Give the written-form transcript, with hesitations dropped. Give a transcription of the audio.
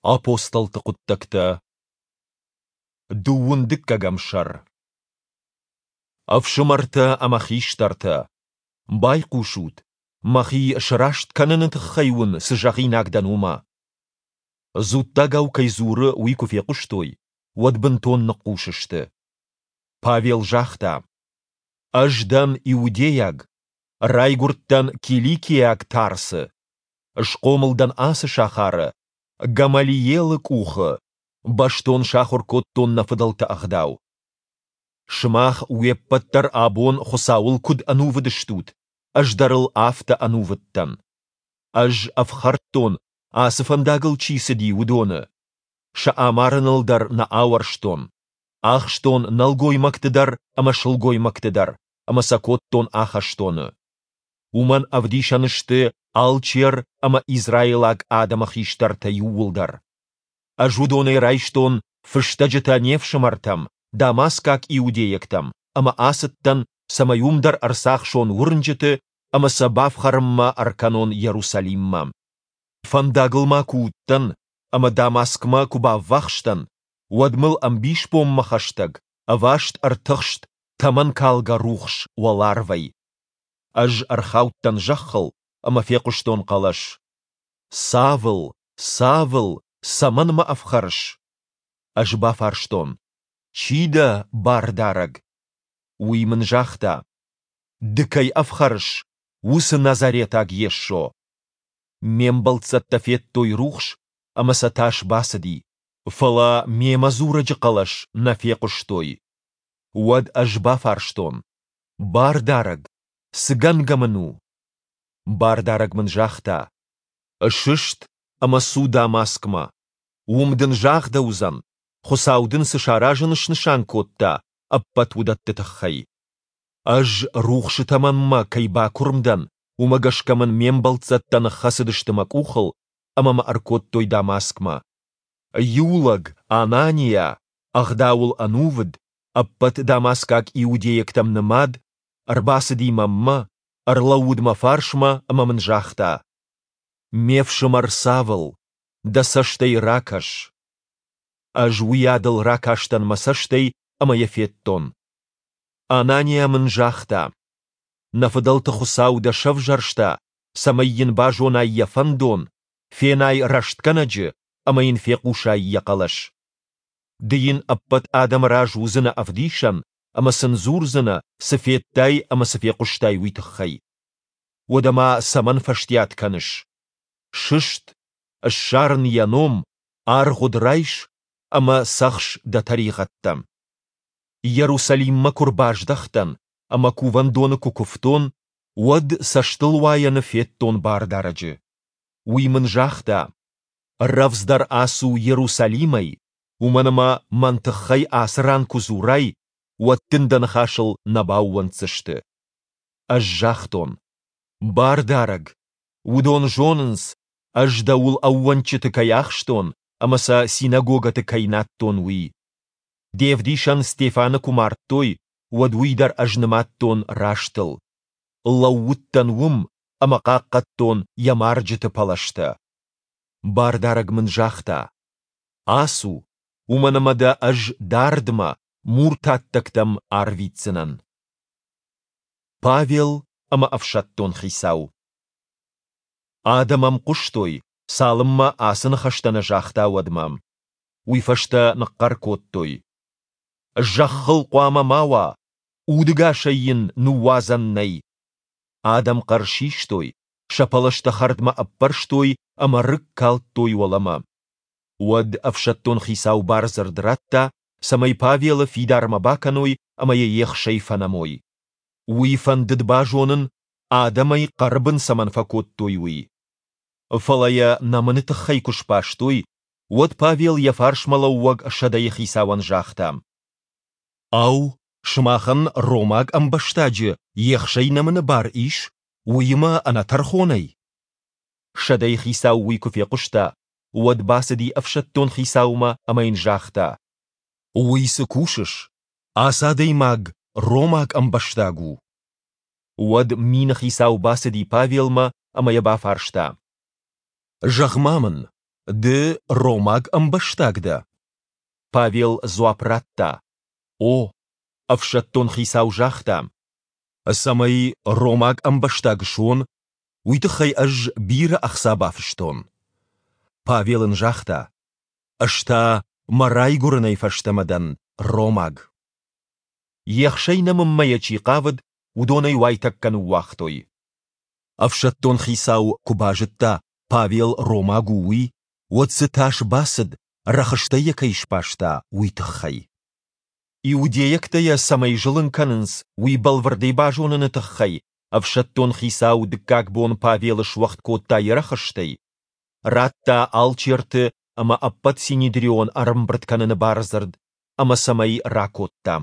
Апостолты хъуыддӕгтӕ Дыууын дыккӕгӕм сӕр Ӕфсымӕртӕ ӕмӕ хистӕртӕ, байхъусут, мӕхи сраст кӕныны тыххӕй уын цы зӕгъинаг дӕн, уымӕ. Дзуттагау кӕй дзуры, уый куы фехъуыстой, уӕд бынтон ныхъхъус сты. Павел загъта: Ӕз дӕн иудейаг, райгуырдтӕн Киликиаг Тарсы, Схъомыл дӕн ацы сахары, Гамалиелы къухы, бӕстон сахуыр кодтон нӕ фыдӕлты ӕгъдау. Сымах уе ппӕт дӕр абон Хуыцауыл куыд ӕнувыд стут, ӕз дӕр ыл афтӕ ӕнувыд дӕн. Ӕз ӕфхӕрдтон, ацы фӕндагыл чи цыди, уыдоны. Сӕ амарыныл дӕр нӕ ауӕрстон. Ахстон нӕлгоймӕгты дӕр ӕмӕ сылгоймӕгты дӕр ӕмӕ сӕ кодтон ахӕстоны. Уымӕн ӕвдисӕн сты алчер ӕмӕ израилаг адӕмы хистӕртӕ иууылдӕр. Ӕз уыдонӕй райстон фыстӕджытӕ не фсымӕртӕм, дамаскаг иудейӕгтӕм, ӕмӕ ацыдтӕн, цӕмӕй уым дӕр ӕрцахсон уырнджыты ӕмӕ сӕ бафхӕрынмӕ ӕркӕнон Иерусалиммӕ. Фӕндагыл ма куы уыдтӕн ӕмӕ Дамаскмӕ куы баввахс дӕн, уӕд мыл ӕмбисбонмӕ хӕстӕг ӕваст ӕртыхст тӕмӕнкалгӕ рухс уӕларвӕй. Ӕз ӕрхаудтӕн зӕххыл ӕмӕ фехъуыстон хъӕлӕс: Савл, Савл, цӕмӕн мӕ ӕфхӕрыс? Ӕз бафарстон: Чи дӕ, Бардарӕг? Уый мын загъта: Ды кӕй ӕфхӕрыс, уыцы Назаретаг Йесо. Ме мбӕлццӕттӕ федтой рухс, ӕмӕ сӕ тас бацыди, фӕлӕ мемӕ дзурӕджы хъӕлӕс нӕ фехъуыстой. Уӕд ӕз бафарстон: Бардарӕг, цы гӕнгӕ мын у? Бардарӕг мын загъта: Сыст ӕмӕ цу Дамаскмӕ. Уым дын загъдӕуыдзӕн, Хуыцау дын цы саразын снысан кодта, ӕппӕт уыдӕтты тыххӕй. Ӕз рухсы тӕмӕнмӕ кӕй бакуырм дӕн, уымӕ гӕсгӕ мын ме мбӕлццӕттӕ ныххӕцыдысты мӕ къухыл ӕмӕ мӕ ӕркодтой Дамаскмӕ. Иу лӕг, Ананиа, ӕгъдауыл ӕнувыд, ӕппӕт дамаскаг иудейӕгтӕм нымад, ӕрбацыди мӕнмӕ, ӕрлӕууыд мӕ фарсмӕ ӕмӕ мын загъта: Ме фсымӕр Савл, дӕ цӕстӕй ракӕс. Ӕз уыйадыл ракастӕн мӕ цӕстӕй ӕмӕ йӕ федтон. Ананиа мын загъта: Нӕ фыдӕлты Хуыцау дӕ сӕвзӕрста, цӕмӕй йын базонай йӕ фӕндон, фенай рӕстгӕнӕджы ӕмӕ йын фехъусай йӕ хъӕлӕс. Ды йын ӕппӕт адӕмы раз уыдзынӕ ӕвдисӕн ӕмӕ сын дзурдзынӕ, цы федтай ӕмӕ цы фехъуыстай, уый тыххӕй. Уӕдӕ ма цӕмӕн фӕстиат кӕныс? Сыст, ссар ын йӕ ном, аргъуыд райс ӕмӕ цӕхс дӕ тӕригъӕдтӕ. Иерусалиммӕ куы рбаздӕхтӕн ӕмӕ кувӕндоны куы куывтон, уӕд цӕстылуайӕны федтон Бардарӕджы. Уый мын загъта: Рӕвдздӕр ацу Иерусалимӕй, уымӕн ӕмӕ мӕн тыххӕй ацы ран куы дзурай, уӕд дын дӕ ныхасыл нӕ баууӕнддзысты. Ӕз загътон: Бардарӕг, уыдон зонынц, ӕз дӕуыл ӕууӕнчыты кӕй ахстон ӕмӕ сӕ синагогӕты кӕй надтон, уый. Де вдисӕн Стефаны куы мардтой, уӕд уый дӕр ӕз нымадтон растыл. Лӕууыдтӕн уым ӕмӕ хъахъхъӕдтон йӕ марджыты пӕлӕзтӕ. Бардарӕг мын загъта: Ацу, уымӕн ӕмӕ дӕ ӕз дардмӕ, муртаттӕгтӕм арвитдзынӕн. Павел ӕмӕ ӕфсӕддон хицау Адӕм ӕм хъуыстой, цалынмӕ ацы ныхӕстӕ нӕ загъта, уӕдмӕ. Уый фӕстӕ ныхъхъӕр кодтой: Зӕххыл хъуамӕ ма уа, удӕгасӕй йын ныууадзӕн нӕй! Адӕм хъӕр систой, сӕ пӕлӕзтӕ хӕрдмӕ ӕппӕрстой ӕмӕ рыг калдтой уӕлӕмӕ. Уӕд ӕфсӕддон хицау бардзырд радта, цӕмӕй Павелы фидармӕ бакӕной ӕмӕ йӕ ехсӕй фӕнӕмой. Уый фӕндыд базонын, адӕм ӕй хъӕры бын цӕмӕн фӕкодтой, уый. Фӕлӕ йӕ нӕмыны тыххӕй куы сбастой, уӕд Павел йӕ фарсмӕлӕууӕг сӕдӕйыхицауӕн загъта: Ау, сымахӕн ромаг ӕмбӕстаджы ехсӕй нӕмыны бар ис, уыимӕ ӕнӕтӕрхонӕй? Сӕдӕйыхицау уый куы фехъуыста, уӕд бацыди ӕфсӕддон хицаумӕ ӕмӕ йын загъта: Уый цы кусыс? Ацы адӕймаг ромаг ӕмбӕстаг у. Уӕд мины хицау бацыди Павелмӕ ӕмӕ йӕ бафарста: Зӕгъ-ма мын, Ды ромаг ӕмбӕстаг дӕ? Павел дзуапп радта, О. Ӕфсӕддон хицау загъта, Цӕмӕй ромаг ӕмбӕстаг суон, уый тыххӕй ӕз бирӕ ӕхца бафыстон. Павел ын загъта, Ӕз та мӕ райгуырынӕй фӕстӕмӕ дӕн ромаг. Ехсӕй нӕмынмӕ йӕ чи хъавыд, уыдон ӕй уайтӕккӕ ныууагътой. Ӕфсӕддон хицау куы базыдта, Павел ромаг у, уый, уӕд дзы тас бацыд, рӕхыстӕй йӕ кӕй сбаста, уый тыххӕй. Иудейӕгтӕ йӕ цӕмӕй зылын кӕнынц, уый бӕлвырдӕй базоныны тыххӕй ӕфсӕддон хицау дыккаг бон Павелы суӕгъд кодта йӕ рӕхыстӕй, радта алчерты ӕмӕ ӕппӕт синедрион ӕрӕмбырд кӕныны бардзырд ӕмӕ сӕм ӕй ракодта.